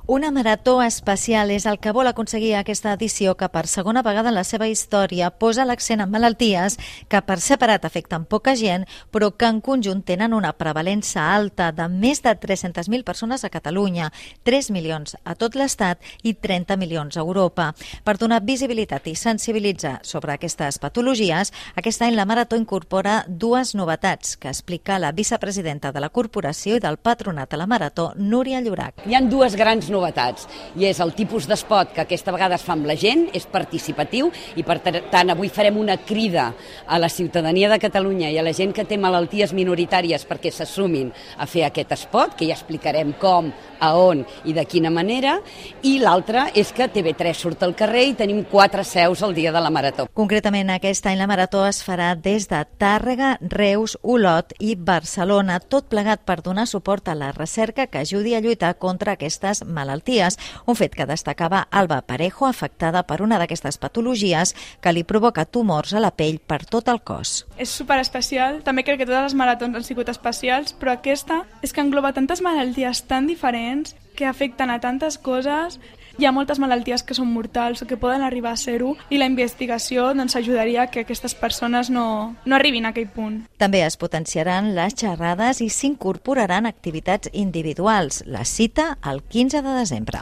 Una marató especial és el que vol aconseguir aquesta edició que per segona vegada en la seva història posa l'accent en malalties que per separat afecten poca gent però que en conjunt tenen una prevalença alta de més de 300.000 persones a Catalunya, 3 milions a tot l'Estat i 30 milions a Europa. Per donar visibilitat i sensibilitzar sobre aquestes patologies, aquest any la marató incorpora dues novetats que explica la vicepresidenta de la corporació i del patronat de la marató, Núria Llorach. Hi ha dues grans novetats, i és el tipus d'espot que aquesta vegada es fa amb la gent, és participatiu, i per tant avui farem una crida a la ciutadania de Catalunya i a la gent que té malalties minoritàries perquè s'assumin a fer aquest espot, que ja explicarem com, a on i de quina manera, i l'altra és que TV3 surt al carrer i tenim 4 seus al dia de la marató. Concretament, aquest any la marató es farà des de Tàrrega, Reus, Olot i Barcelona, tot plegat per donar suport a la recerca que ajudi a lluitar contra aquestes malalties, un fet que destacava Alba Parejo, afectada per una d'aquestes patologies que li provoca tumors a la pell per tot el cos. És superespecial, també crec que totes les maratons han sigut especials, però aquesta és que engloba tantes malalties tan diferents que afecten a tantes coses. Hi ha moltes malalties que són mortals o que poden arribar a ser-ho i la investigació ajudaria que aquestes persones no arribin a aquell punt. També es potenciaran les xerrades i s'incorporaran activitats individuals. La cita el 15 de desembre.